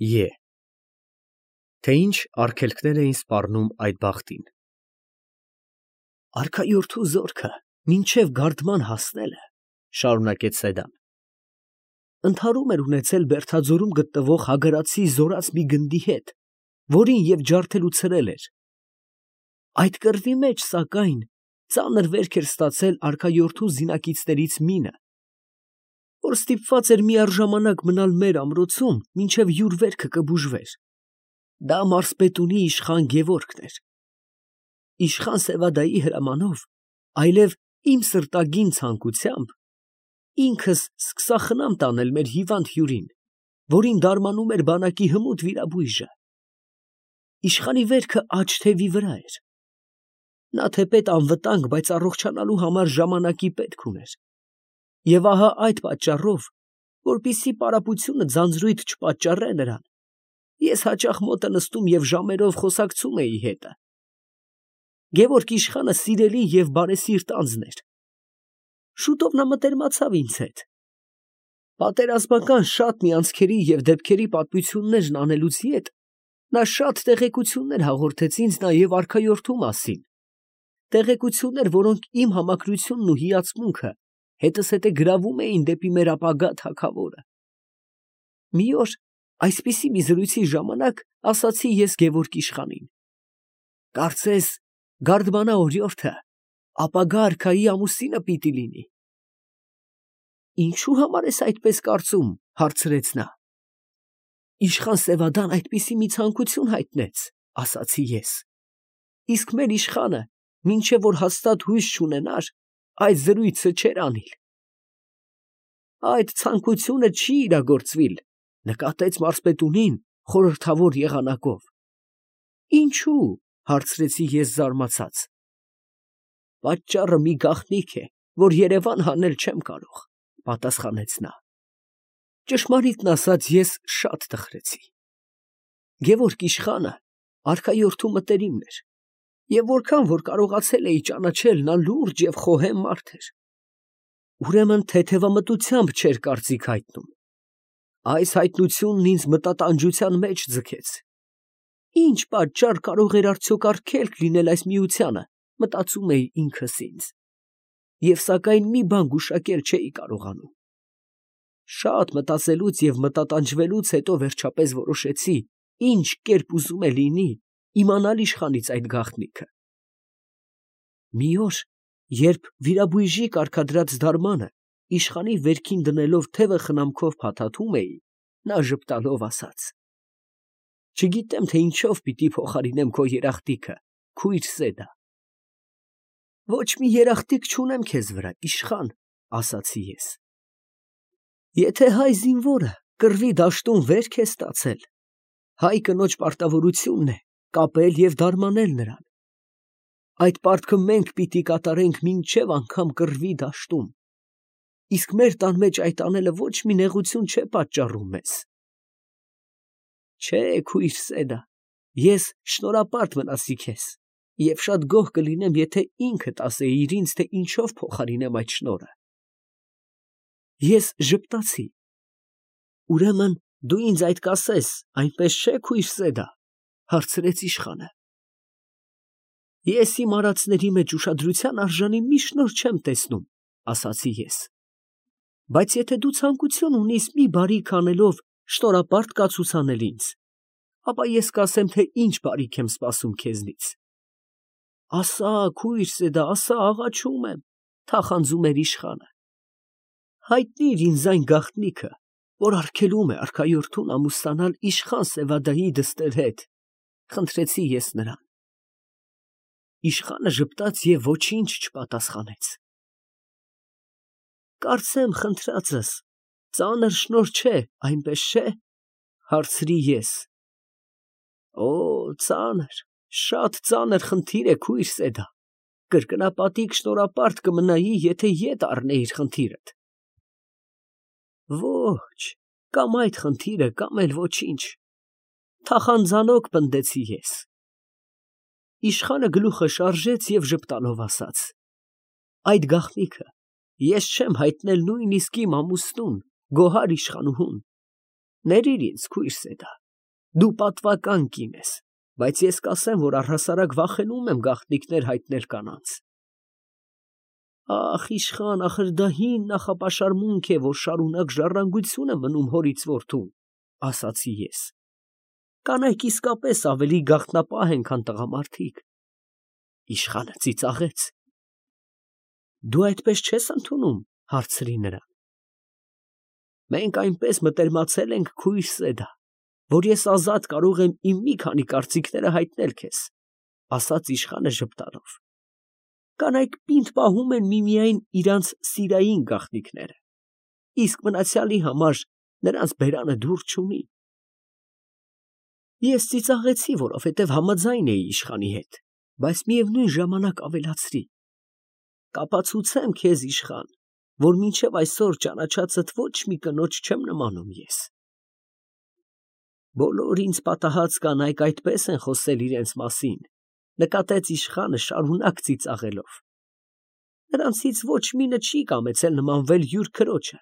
Է. Թե ինչ արգելքներ էին սպառնում այդ բախտին։ Արքայորդու զորքը մինչև գարդման հասնելը, շարունակեց Սեդան, ընդհարում էր ունեցել Բերդաձորում գտնվող հագարացի զորած մի գնդի հետ, որին և ջարդել ու ցրել էր։ Այդ կռվի մեջ, սակայն, ծանր վերք էր ստացել արքայորդու զինակիցներից մինը, որ ստիպված էր միառժամանակ մնալ մեր ամրոցում, մինչև յուր վերքը կբուժվեր։ Դա մարզպետունի իշխան Գևորգն էր։ Իշխան Սևադայի հրամանով, այլև իմ սրտագին ցանկությամբ, ինքս սկսա խնամ տանել մեր հիվանդ հյուրին, որին դարմանում էր բանակի հմուտ վիրաբույժը։ Իշխանի վերքը աջ թևի վրա էր։ Նա թեպետ անվտանգ, բայց առողջանալու համար ժամանակի պետք ուներ։ Եվ ահա այդ պատճառով, որպեսզի պարապությունը ձանձրույթ չպատճառե նրան, ես հաճախ մոտը նստում և ժամերով խոսակցում էի հետը։ Գևորգ իշխանը սիրելի և բարեսիրտ անձն էր։ Շուտով նա մտերմացավ ինձ հետ։ Պատերազմական շատ մի անցքերի և դեպքերի պատմություններն անելուց ետ, նա շատ տեղեկություններ հաղորդեց ինձ նաև արքայորդու մասին, տեղեկություններ, որոնք իմ համակրությունն ու հիացմունքը հետզհետե գրավում էին դեպի մեր ապագա թագավորը։ Մի օր այսպիսի մի զրույցի ժամանակ ասացի ես Գևորգ իշխանին. կարծես գարդմանա օրիորդը ապագա արքայի ամուսինը պիտի լինի։ Ինչու համար ես այդպես կարծում, հարցրեց նա։ Իշխան Սևադան այդպիսի մի ցանկություն հայտնեց, ասացի ես։ Իսկ մեր իշխանը, մինչև որ հաստատ հույս չունենար, այդ զրույցը չէր անիլ։ Այդ ցանկությունը չի իրագործվիլ, նկատեց մարզպետունին խորհրդավոր եղանակով։ Ինչու, հարցրեցի ես զարմացած։ Պատճառը մի գաղտնիք է, որ Երևան հանել չեմ կարող, պատասխանեց նա։ Ճշմարիտն ասած, ես շատ տխրեցի։ Գևորգ իշխանը արքայորդու մտերիմն էր, և որքան որ կարողացել էի ճանաչել, նա լուրջ և խոհեմ մարդ էր։ Ուրեմն թեթևամտությամբ չէր կարծիք հայտնում։ Այս հայտնությունն ինձ մտատանջության մեջ ձգեց։ Ինչ պատճառ կարող էր արդյոք արգելք լինել այս միությանը, մտածում էի ինքս ինձ, և սակայն մի բան գուշակել չէի կարողանում։ Շատ մտածելուց և մտատանջվելուց հետո վերջապես որոշեցի, ինչ կերպ ուզում է լինի, իմանալ իշխանից այդ գաղտնիքը։ Մի օր, երբ վիրաբույժի կարգադրած դարմանը իշխանի վերքին դնելով թևը խնամքով փաթաթում էի, նա ժպտալով ասաց. չգիտեմ, թե ինչով պիտի փոխարինեմ քո երախտիկը, քույր Սեդա։ Ոչ մի երախտիկ չունեմ քեզ վրա, իշխան, ասացի ես։ Եթե հայ զինվորը կռվի դաշտում վերք է ստացել, հայ կնոջ պարտավորությունն է կապել և դարմանել նրան։ Այդ պարտքը մենք պիտի կատարենք մինչև անգամ կռվի դաշտում։ Իսկ մեր տան մեջ այդ անելը ոչ մի նեղություն չէ պատճառում մեզ։ Չէ, քույր Սեդա, ես շնորհապարտ մնացի քեզ, և շատ գոհ կլինեմ, եթե ինքդ ասեիր ինձ, թե ինչով փոխարինեմ այդ շնորհը։ Ես ժպտացի։ Ուրեմն դու ինձ այդ կասես, այնպես չէ, քույր Սեդա, հարցրեց իշխանը։ Ես իմ արածների մեջ ուշադրության արժանի մի շնորհ չեմ տեսնում, ասացի ես։ Բայց եթե դու ցանկություն ունիս մի բարիք անելով շնորհապարտ կացուցանել ինձ, ապա ես կասեմ, թե ինչ բարիք եմ սպասում քեզնից։ Ասա, քույր Սեդա, ասա, աղաչում եմ, թախանձում էր իշխանը։ Հայտնիր ինձ այն գաղտնիքը, որ արգելում է արքայորդուն ամուսնանալ իշխան Սևադայի դստեր հետ, խնդրեցի ես նրան։ Իշխանը ժպտաց և ոչինչ չպատասխանեց։ Կարծեմ խնդրածս ծանր շնորհ չէ, այնպես չէ, հարցրի ես։ Օ, ծանր, շատ ծանր խնդիր է, քույր Սեդա, կրկնապատիկ շնորհապարտ կմնայի, եթե ետ առնեիր խնդիրդ։ Ոչ, կամ այդ խնդիրը, կամ էլ ոչինչ, թախանձանոք պնդեցի ես։ Իշխանը գլուխը շարժեց և ժպտալով ասաց. այդ գաղտնիքը ես չեմ հայտնել նույնիսկ իմ ամուսնուն, գոհար իշխանուհուն։ Ներիր ինձ, քույր Սեդա, Դու պատվական կին ես, բայց ես կասեմ, որ առհասարակ վախենում եմ գաղտնիքներ հայտնել կանանց։ Ախ, իշխան, ախր դա հին նախապաշարմունք է, որ շարունակ ժառանգություն է մնում հորից որդուն, ասացի ես։ Կանայք իսկապես ավելի գաղտնապահ են, քան տղամարդիկ։ Իշխանը ծիծաղեց։ Դու այդպես չես ընդունում, հարցրի նրան։ Մենք այնպես մտերմացել ենք քույր Սեդա, որ ես ազատ կարող եմ իմ մի քանի կարծիքները հայտնել քեզ, ասաց իշխանը ժպտալով։ Կանայք պինդ պահում են միմիայն իրանց սիրային գաղտնիքները, իսկ մնացյալի համար նրանց բերանը դուր չունի։ Ես ծիծաղեցի, որովհետև համաձայն էի իշխանի հետ, բայց միևնույն ժամանակ ավելացրի. կապացուցեմ քեզ, իշխան, որ մինչև այսօր ճանաչածդ ոչ մի կնոջ չեմ նմանում ես։ Բոլոր ինձ պատահած կանայք այդպես են խոսել իրենց մասին, նկատեց իշխանը շարունակ ծիծաղելով։ Նրանցից ոչ մինը չի կամեցել նմանվել յուր քրոջը,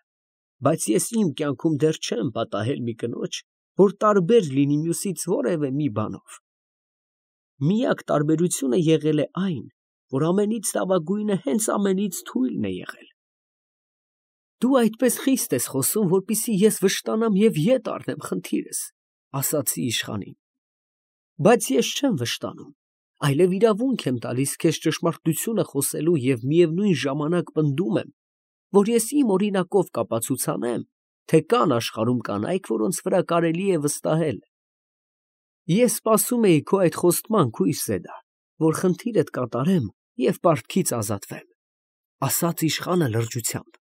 բայց ես իմ կյանքում դեռ չեմ պատահել մի կնոջ, որ տարբեր լինի մյուսից որևէ մի բանով։ Միակ տարբերությունը եղել է այն, որ ամենից լավագույնը հենց ամենից թույլն է եղել։ Դու այդպես խիստ ես խոսում, որպեսզի ես վշտանամ և ետ առնեմ խնդիրս, ասացի իշխանին։ Բայց ես չեմ վշտանում, այլև իրավունք եմ տալիս քեզ ճշմարտությունը խոսելու և միևնույն ժամանակ պնդում եմ, որ ես իմ օրինակով կապացուցանեմ, թե կան աշխարհում կանայք, որոնց վրա կարելի է վստահել։ Ես սպասում էի քո այդ խոստման, քույր Սեդա, որ խնդիրդ կատարեմ և պարտքից ազատվեմ, ասաց իշխանը լրջությամբ։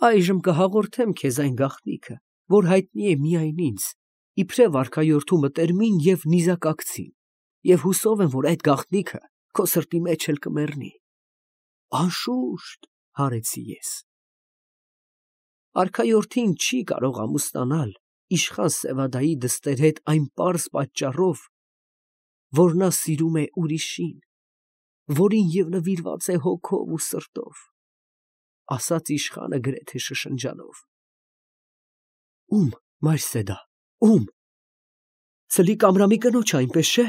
Այժմ կհաղորդեմ քեզ այն գաղտնիքը, որ հայտնի է միայն ինձ, իբրև արքայորդու մտերմին և նիզակակցին, և հուսով եմ, որ այդ գաղտնիքը քո սրտի մեջ էլ կմեռնի։ Անշուշտ, հարեցի ես։ Արքայորդին չի կարող ամուսնանալ իշխան Սևադայի դստեր հետ այն պարզ պատճառով, որ նա սիրում է ուրիշին, որին և նվիրված է հոգով ու սրտով, ասաց իշխանը գրեթե շշնջալով։ Ում, մայր Սեդա, ում։ Ցլիկ Ամրամի կնոջ այնպես չէ,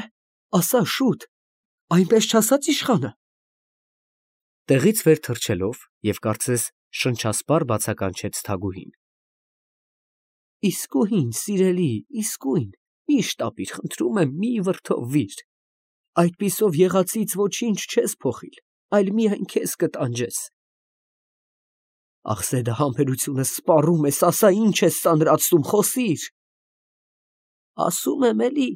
ասա շուտ, այնպես չասաց իշխանը։ Տեղից վեր թռչելով և կարծես շնչասպառ բացականչեց Թագուհին։ Իսկույն, սիրելի, իսկույն, մի շտապիր, խնդրում եմ, մի վրդովվիր։ Այդպիսով եղածից ոչինչ չես փոխիլ, այլ միայն քեզ կտանջես։ Ախ, Սեդա, համբերությունս սպառում ես, ասա ինչ ես ծանրացնում, խոսիր։ Ասում եմ էլի։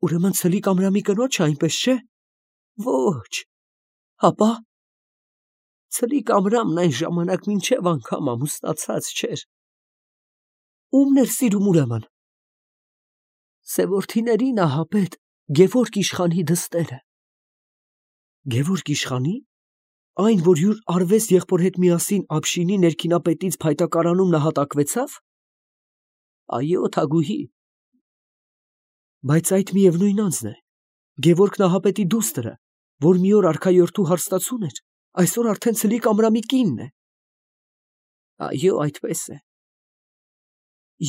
Ուրեմն Ցլիկ Ամրամի կնոջը այնպես չէ։ Ոչ։ Հապա։ Ցլիկ Ամրամն այն ժամանակ մինչև անգամ ամուսնացած չէր։ Ումն էր սիրում ուրեմն։ Սևորդիների նահապետ Գևորգ իշխանի դստերը։ Գևորգ իշխանի։ Այն, որ յուր արվեստ եղբոր հետ միասին Աբշինի ներքինապետից փայտակարանում նահատակվեցավ։ Այո, Թագուհի։ Բայց այդ միևնույն անձն է։ Գևորգ նահապետի դուստրը, որ մի օր արքայորդու հարստացուն էր, այսօր արդեն Ցլիկ Ամրամի կինն է։ Այո, այդպես է։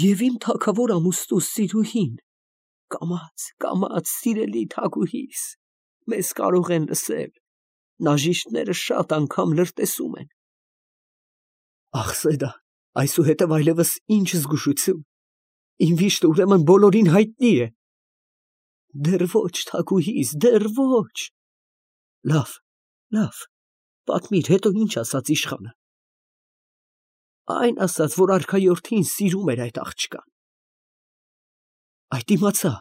Եվ իմ թագավոր ամուսնու սիրուհին, կամաց, սիրելի Թագուհիս, մեզ կարող են լսել, նաժիշտները շատ անգամ լրտեսում են։ Ախ, Սեդա, այսուհետև այլևս ինչ զգուշություն, իմ վիշտը ուրեմն բոլորին հայտնի է։ Դեռ ոչ, Թագուհիս, դեռ ոչ։ Լավ, պատմիր, հետո ինչ ասաց իշխանը։ Այն ասաց, որ արքայորդին սիրում էր այդ աղջկան։ Այդ իմացա,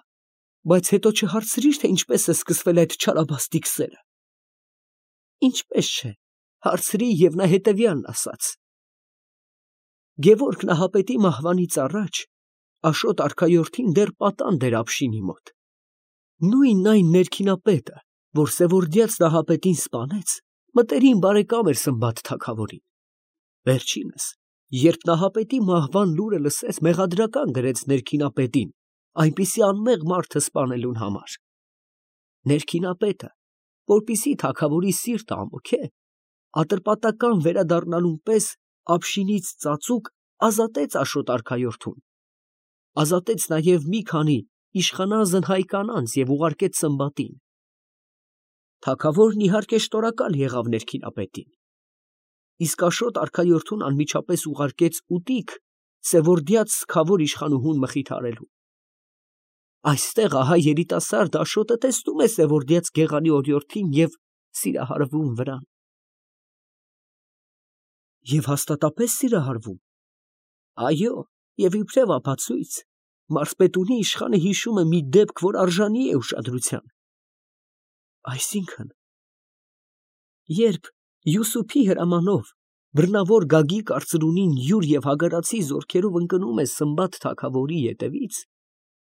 բայց հետո չհարցրիր, թե ինչպես է սկսվել այդ չարաբաստիկ սերը։ Ինչպես չէ, հարցրի և նա հետևյալն ասաց. Գևորգ նահապետի մահվանից առաջ Աշոտ արքայորդին դեռ պատանդ էր Աբշինի մոտ։ Նույն այն ներքինապետը, որ Սևորդյաց նահապետին սպանեց, մտերիմ բարեկամ էր Սմբատ թագավորին։ Վերջինս, երբ նահապետի մահվան լուրը լսեց, մեղադրական գրեց ներքինապետին, այնպիսի անմեղ մարդը սպանելուն համար։ Ներքինապետը, որպեսզի թագավորի սիրտը ամոքե, ատրպատական վերադառնալուն պես Աբշինից ծածուկ ազատեց Աշոտ արքայորդուն, ազատեց նաև մի քանի իշխանազն հայ կանանց և ուղարկեց Սմբատին։ Թագավորն իհարկե շնորհակալ եղավ ներքինապետին, իսկ Աշոտ արքայորդուն անմիջապես ուղարկեց ուտիկ Սևորդյաց սգավոր իշխանուհուն մխիթարելու։ Այստեղ ահա երիտասարդ Աշոտը տեսնում է Սևորդյաց գեղանի օրիորդին և սիրահարվում վրան։ Եվ հաստատապես սիրահարվում։ Այո, և իբրև ապացույց, մարզպետունի իշխանը հիշում է մի դեպք, որ արժանի է ուշադրության։ Այսինքն, երբ Յուսուփի հրամանով բռնավոր Գագիկ արծրունին յուր և հագարացի զորքերով ընկնում է Սմբատ թագավորի ետևից,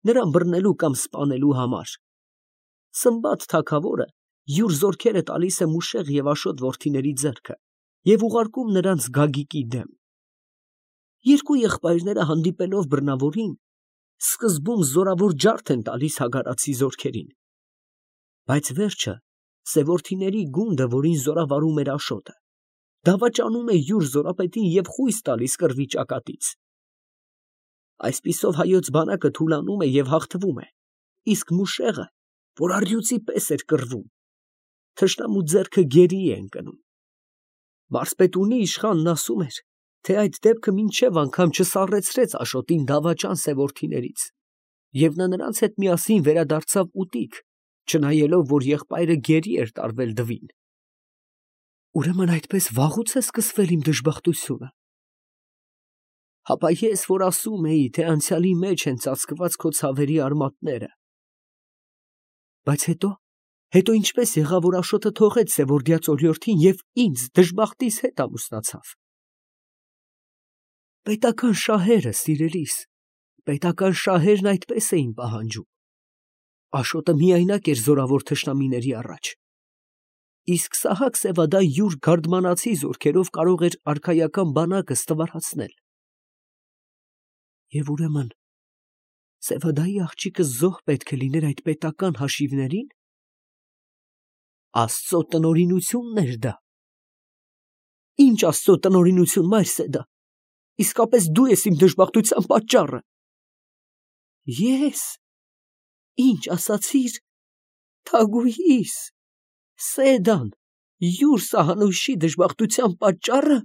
նրան բռնելու կամ սպանելու համար, Սմբատ թագավորը յուր զորքերը տալիս է Մուշեղ և Աշոտ որդիների ձեռքը և ուղարկում նրանց Գագիկի դեմ։ Երկու եղբայրները հանդիպելով բռնավորին, սկզբում զորավոր ջարդ են տալիս հագարացի զորքերին, բայց վերջը Սևորդիների գունդը, որին զորավարում էր Աշոտը, դավաճանում է յուր զորապետին և խույս տալիս կռվի ճակատից։ Այսպիսով հայոց բանակը թուլանում է և հաղթվում է, իսկ Մուշեղը, որ առյուծի պես էր կռվում, թշնամու ձեռքը գերի է ընկնում։ Մարզպետունի իշխանն ասում էր, թե այդ դեպքը մինչև անգամ չսառեցրեց Աշոտին դավաճան Սևորդիներից, և նա նրանց հետ միասին վերադարձավ ուտիկ, չնայելով, որ եղբայրը գերի էր տարվել դվին։ Ուրեմն այդպես վաղուց է սկսվել իմ դժբախտությունը։ Հապա ես, որ ասում էի, թե անցյալի մեջ են ծածկված քո ցավերի արմատները։ Բայց հետո ինչպես եղավ, որ Աշոտը թողեց Սևորդյաց օրիորդին և ինձ դժբախտիս հետ ամուսնացավ։ Պետական շահերը, սիրելիս, պետական շահերն այդպես էին պահանջում։ Աշոտը միայնակ էր զորավոր թշնամիների առաջ, իսկ Սահակ-Սևադա յուր գարդմանացի զորքերով կարող էր արքայական բանակը ստվարացնել։ Եվ ուրեմն Սևադայի աղջիկը զոհ պետք է լիներ այդ պետական հաշիվներին։ Աստծո տնօրինությունն էր դա։ Ինչ Աստծո տնօրինություն, Մայրսեդա, իսկապես դու ես իմ դժբախտության պատճառը։ Ես։ Ինչ ասացիր, թագուհիս, Սեդան, յուր սահանույշի դժբախտության պատճառը։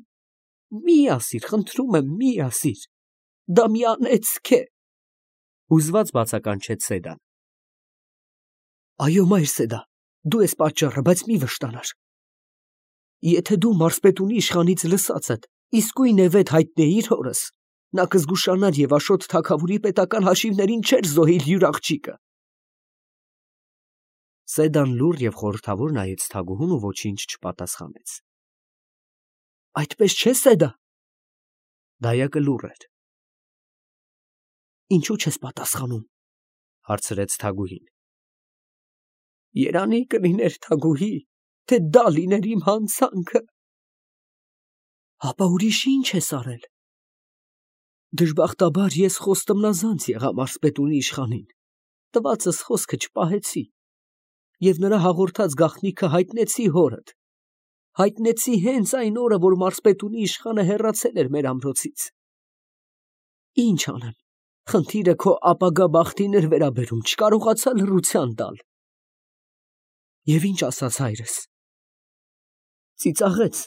Մի ասիր, խնդրում եմ, մի ասիր, դա մի անեծք է։ Հուզված բացականչեց Սեդան։ Այո, Մայրսեդա, դու ես պատճառը, բայց մի վշտանար։ Եթե դու մարզպետունի իշխանից լսածդ իսկույն եւեթ հայտնեիր հորս, նա կզգուշանար և Աշոտ թագավորի պետական հաշիվներին չէր զոհիլ յուր աղջիկը։ Սեդան լուռ և խորհրդավոր նայեց թագուհուն ու ոչինչ չպատասխանեց։ Այդպես չէ, Սեդա։ Դայակը լուռ էր։ Ինչու չես պատասխանում, հարցրեց թագուհին։ Երանի կլիներ, թագուհի, թե դա լիներ իմ հանցանքը։ Հապա ուրիշ ինչ ես արել։ Դժբախտաբար ես խոստմնազանց եղա մարզպետունի իշխանին, տվածս խոսքը չպահեցի, և նրա հաղորդած գաղտնիքը հայտնեցի հորդ, հայտնեցի հենց այն օրը, որ մարզպետունի իշխանը հեռացել էր մեր ամրոցից։ Ինչ անեմ, խնդիրը քո ապագա բախտին էր վերաբերում, չկարողացա լռության տալ։ Եվ ինչ ասաց հայրս։ Ծիծաղեց,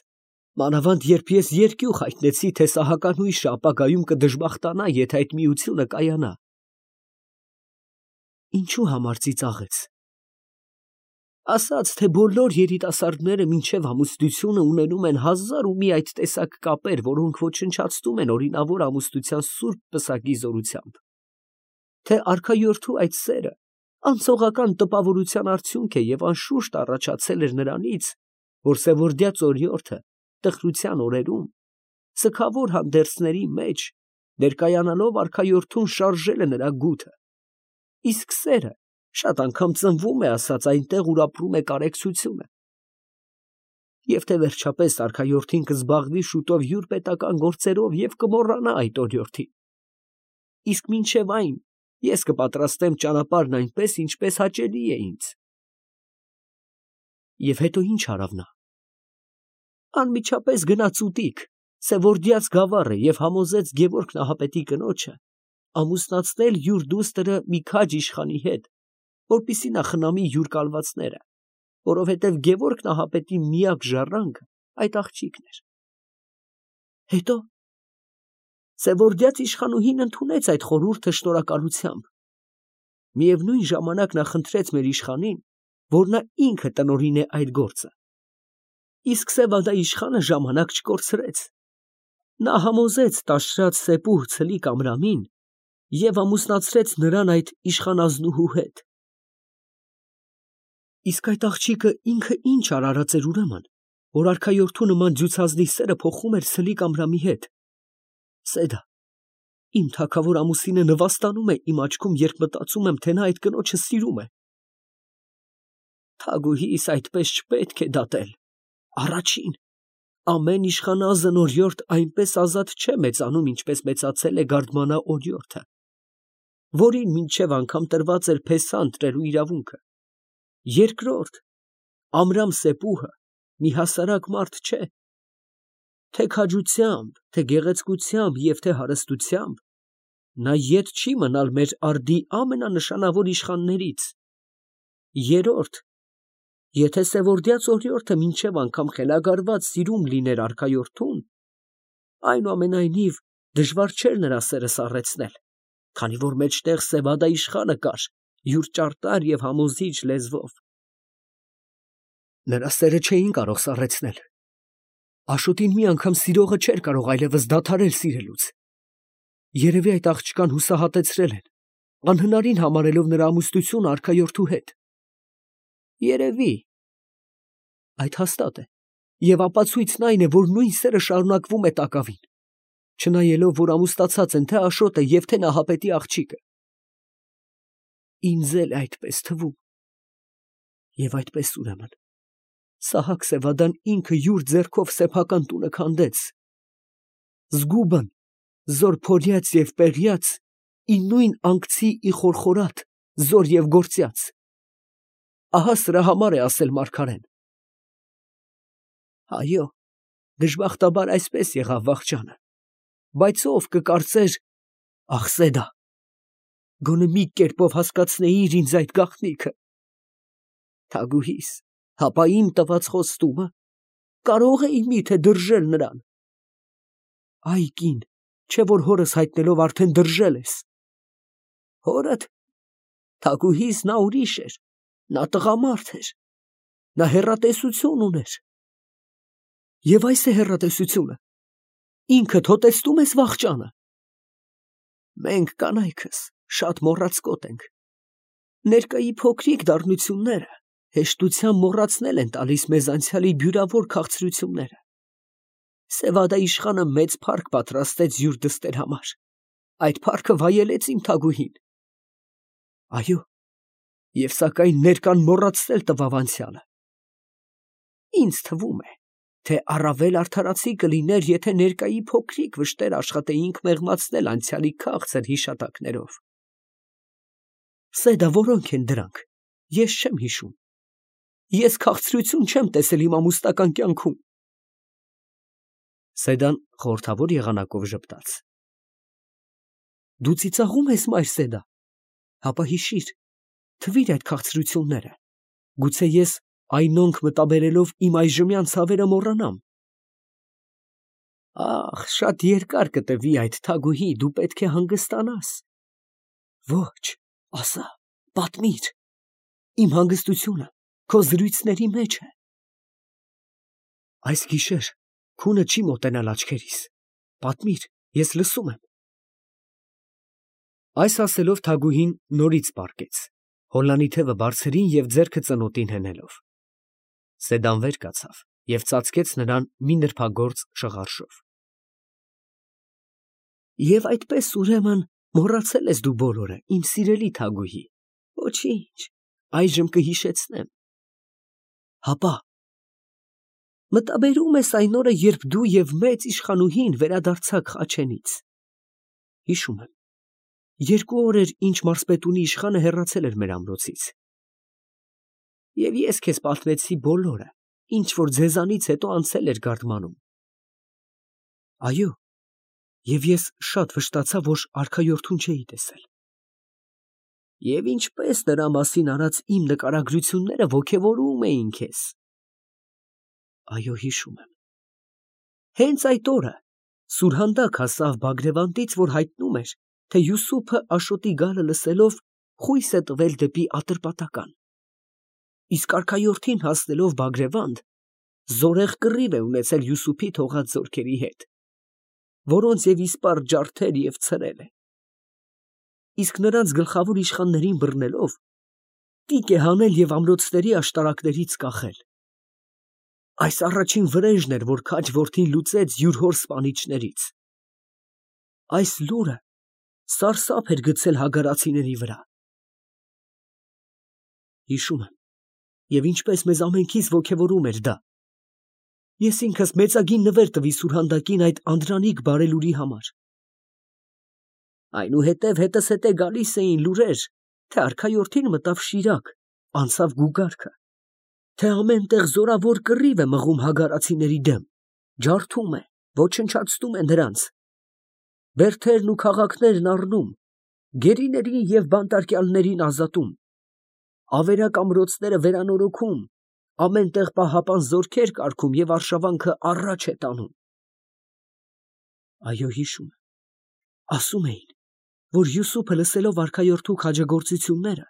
մանավանդ երբ ես երկյուղ հայտնեցի, թե Սահականույշը ապագայում կդժբախտանա, եթե այդ միությունը կայանա։ Ինչու համար ծիծաղեց։ Ասաց, թե բոլոր երիտասարդները մինչև ամուսնությունը ունենում են հազար ու մի այդ տեսակ կապեր, որոնք ոչնչացնում են օրինավոր ամուսնության սուրբ պսակի զորությամբ, թե արքայորդու այդ սերը անցողական տպավորության արդյունք է և անշուշտ առաջացել էր նրանից, որ Սևորդյաց օրիորդը տխրության օրերում սգավոր հանդերձների մեջ ներկայանալով արքայորդուն շարժել է նրա գութը, իսկ սերը շատ անգամ ծնվում է ասած այնտեղ, ուր ապրում է կարեկցությունը, և թե վերջապես արքայորդին կզբաղվի շուտով յուր պետական գործերով և կմոռանա այդ օրիորդին, իսկ մինչև այն ես կպատրաստեմ ճանապարհն այնպես, ինչպես հաճելի է ինձ։ Եվ հետո ինչ արավ նա։ Անմիջապես գնաց ուտիկ Սևորդյաց գավառը և համոզեց Գևորգ Նահապետի կնոջը, ամուսնացնել յուր դուստրը մի քաջ իշխանի հետ, որպեսզի նա խնամի յուր կալվածները, որովհետև Գևորգ նահապետի միակ ժառանգը այդ աղջիկն էր։ Հետո Սևորդյաց իշխանուհին ընդունեց այդ խորհուրդը շնորհակալությամբ։ Միևնույն ժամանակ նա խնդրեց մեր իշխանին, որ նա ինքը տնօրինե այդ գործը։ Իսկ Սևադա իշխանը ժամանակ չկորցրեց։ Նա համոզեց տաշրած Սեպուհ Ցլիկ Ամրամին և ամուսնացրեց նրան այդ իշխանազնուհու հետ։ Իսկ այդ աղջիկը ինքը ինչ արարած էր ուրեմն, որ արքայորդու նման ջուցազնի սերը փոխում էր Ցլիկ Ամրամի հետ։ Սեդա, իմ թագավոր ամուսինը նվաստանում է իմ աչքում, երբ մտածում եմ, թե նա այդ կնոջը սիրում է։ Թագուհիս այդպես չպետք է դատել։ Առաջին, ամեն իշխանազն օրիորդ այնպես ազատ չէ մեծանում, ինչպես մեծացել է Գարդմանա օրիորդը, որին մինչև անգամ տրված էր փեսա ընտրելու իրավունքը։ Երկրորդ, Ամրամ Սեպուհը մի հասարակ մարդ չէ։ Թե քաջությամբ, թե գեղեցկությամբ և թե հարստությամբ նա ետ չի մնալ մեր արդի ամենանշանավոր իշխաններից։ Երրորդ, եթե Սևորդյաց օրիորդը մինչև անգամ խելագարված սիրում լիներ արքայորդուն, այնուամենայնիվ դժվար չէր նրա սերը սառեցնել, քանի որ մեջտեղ Սևադա իշխանը կար, յուր ճարտար և համոզիչ լեզվով։ Նրա սերը չէին կարող սառեցնել։ Աշոտին մի անգամ սիրողը չէր կարող այլևս դադարել սիրելուց։ Երևի այդ աղջկան հուսահատեցրել են, անհնարին համարելով նրա ամուսնությունը արքայորդու հետ։ Երևի։ Այդ հաստատ է, և ապացույցն այն է, որ նույն սերը շարունակվում է տակավին, չնայելով, որ ամուսնացած են թե Աշոտը և թե Նահապետի աղջիկը։ Ինձ էլ այդպես թվում։ Եվ այդպես ուրեմն Սահակ Սևադան ինքը յուր ձեռքով սեփական տունը քանդեց։ Զգուբն, զոր փորյաց և պեղյաց, ի նույն անգցի ի խորխորատ, զոր և գործյաց։ Ահա սրա համար է ասել մարգարեն։ Այո, դժբախտաբար այսպես եղավ վախճանը, բայց ով կկարծեր, ախ Սեդա, գոնե մի կերպով հասկացնեիր ինձ այդ գաղտնիքը։ Թագուհիս, հապա իմ տված խոստումը կարող էի միթե դրժել նրան։ Այ կին, չէ որ հորս հայտնելով արդեն դրժել ես։ Հորդ, թագուհիս, նա ուրիշ էր, նա տղամարդ էր, նա հեռատեսություն ուներ։ Եվ այս է հեռատեսությունը, ինքդ հոտեցնում ես վախճանը։ Մենք կանայքս շատ մոռացկոտ ենք, ներկայի փոքրիկ դառնությունները հեշտությամբ մոռացնել են տալիս մեզ անցյալի բյուրավոր քաղցրությունները։ Սևադա իշխանը մեծ փառք պատրաստեց յուր դստեր համար, այդ փառքը վայելեց իմ թագուհին։ Այո, և սակայն ներկան մոռացնել տվավ անցյալը։ Ինձ թվում է, թե առավել արդարացի կլիներ, եթե ներկայի փոքրիկ վշտեր աշխատեինք մեղմացնել անցյալի քաղցր հիշատակներով։ Սեդա, որոնք են դրանք, ես չեմ հիշում։ Ես քաղցրություն չեմ տեսել իմ ամուսնական կյանքում։ Սեդան խորհրդավոր եղանակով ժպտաց։ Դու ծիծաղում ես, մայր Սեդա, հապա հիշիր, թվիր այդ քաղցրությունները, գուցե ես այնոնք մտաբերելով իմ այժմյան ցավերը մոռանամ։ Ախ, շատ երկար կտևի այդ, թագուհի, դու պետք է հանգստանաս։ Ոչ, ասա, պատմիր, իմ հանգստությունը քո զրույցների մեջ է։ Այս գիշեր քունը չի մոտենալ աչքերիս, պատմիր, ես լսում եմ։ Այս ասելով թագուհին նորից պառկեց, հոլանի թևը բարձրին և ձեռքը ծնոտին հենելով։ Սեդան վեր կացավ և ծածկեց նրան մի նրբագործ շղարշով։ Եվ այդպես ուրեմն մոռացել ես դու բոլորը, իմ սիրելի թագուհի։ Ոչինչ, այժմ կհիշեցնեմ։ Հապա մտաբերում ես այն օրը, երբ դու և մեծ իշխանուհին վերադարձաք Խաչենից։ Հիշում եմ, 2 օր էր, ինչ մարզպետունի իշխանը հեռացել էր մեր ամրոցից։ Եվ ես քեզ պատմեցի բոլորը, ինչ որ ձեզանից հետո անցել էր Գարդմանում։ Այո, Եվ ես շատ վշտացա, որ արքայորդուն չէի տեսել։ Եվ ինչպես նրա մասին արած իմ նկարագրությունները ոգևորում էին քեզ։ Այո, հիշում եմ։ Հենց այդ օրը Սուրհանդակ հասավ Բագրևանդից, որ հայտնում էր, թե Յուսուփը Աշոտի գալը լսելով խույս է տվել դեպի Ատրպատական։ Իսկ արքայորդին հասնելով Բագրևանդ, զորեղ կռիվ է ունեցել Յուսուփի թողած զորքերի հետ, որոնց և իսպառ ջարդեր և ցրել է։ Իսկ նրանց գլխավոր իշխաններին բռնելով, տիկ է հանել և ամրոցների աշտարակներից կախել։ Այս առաջին վրեժն էր, որ քաջ որդին լուծեց յուր հոր սպանիչներից։ Այս լուրը սարսափ էր գցել հագարացիների վրա։ Հիշում եմ, և ինչպես մեզ ամենքիս ոգևորում էր դա։ Ես ինքս մեծագին նվեր տվի Սուրհանդակին այդ անդրանիկ բարելուրի համար։ Այնուհետև հետս հետե գալիս էին լուրեր, թե արքայորդին մտավ Շիրակ, անցավ Գուգարքը, թե ամեն տեղ զորավոր կռիվ է մղում հագարացիների դեմ, ջարդում է, ոչնչացնում է նրանց, բերդերն ու քաղաքներն առնում, գերիներին և բանտարկյալներին ազատում, ավերակ ամրոցները վերանորոգում, ամեն տեղ պահապան զորքեր կարգում և արշավանքը առաջ է տանում։ Այո, հիշում եմ, ասում էին, որ Յուսուփը լսելով արքայորդու քաջագործությունները,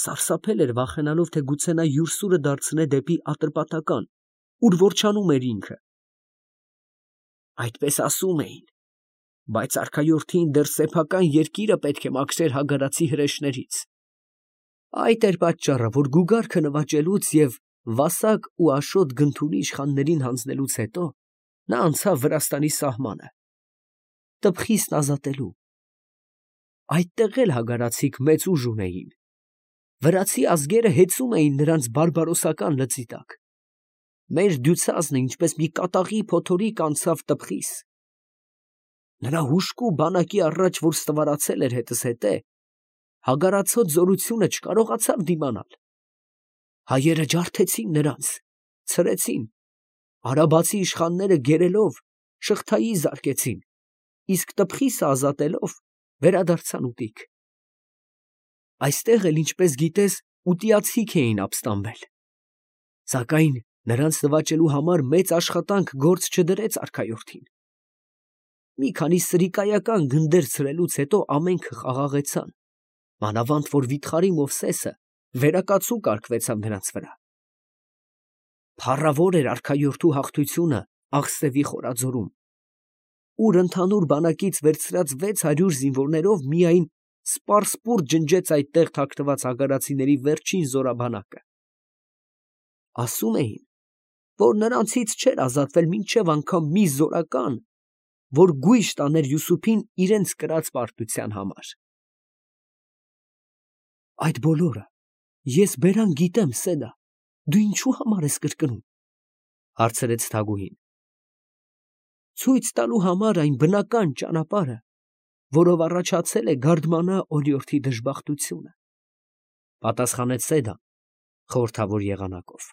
սարսափել էր վախենալով, թե գուցե նա յուր սուրը դարձնե դեպի Ատրպատական, ուր որջանում էր ինքը։ Այդպես ասում էին, բայց արքայորդին դեռ սեփական երկիրը պետք է մաքրեր հագարացի հրեշներից։ Այդ էր պատճառը, որ Գուգարքը նվաճելուց և Վասակ ու Աշոտ Գնթունի իշխաններին հանձնելուց հետո նա անցավ Վրաստանի սահմանը, Տբխիսն ազատելու։ Այդտեղ էլ հագարացիք մեծ ուժ ունեին։ Վրացի ազգերը հեծում էին նրանց բարբարոսական լծի տակ։ Մեր դյուցազնը ինչպես մի կատաղի փոթորիկ անցավ Տբխիս։ Նրա հուժկու բանակի առաջ, որ ստվարացել էր հետս հետե, հագարացոտ զորությունը չկարողացավ դիմանալ։ Հայերը ջարդեցին նրանց, ցրեցին, արաբացի իշխանները գերելով շղթայի զարկեցին, իսկ Տբխիսը ազատելով վերադարձան ուտիկ։ Այստեղ էլ, ինչպես գիտես, ուտիացիք էին ապստամբել։ Սակայն նրանց նվաճելու համար մեծ աշխատանք գործ չդրեց արքայորդին։ Մի քանի սրիկայական գնդեր ցրելուց հետո ամենքը խաղաղեցան, մանավանդ որ վիթխարի Մովսեսը վերակացու կարգվեցավ նրանց վրա։ Փառավոր էր արքայորդու հաղթությունը Աղստևի խորաձորում, ուր ընդհանուր բանակից վերցրած 600 զինվորներով միայն սպարսպուրտ ջնջեց այդտեղ թաքնված հագարացիների վերջին զորաբանակը։ Ասում էին, որ նրանցից չէր ազատվել մինչև անգամ մի զորական, որ գույժ տաներ Յուսուփին իրենց կրած պարտության համար։ Այդ բոլորը ես բերան գիտեմ, Սեդա, դու ինչու համար ես կրկնում, հարցրեց Թագուհին։ Ցույց տալու համար այն բնական ճանապարհը, որով առաջացել է Գարդմանա օրիորդի դժբախտությունը, պատասխանեց Սեդան խորհրդավոր եղանակով։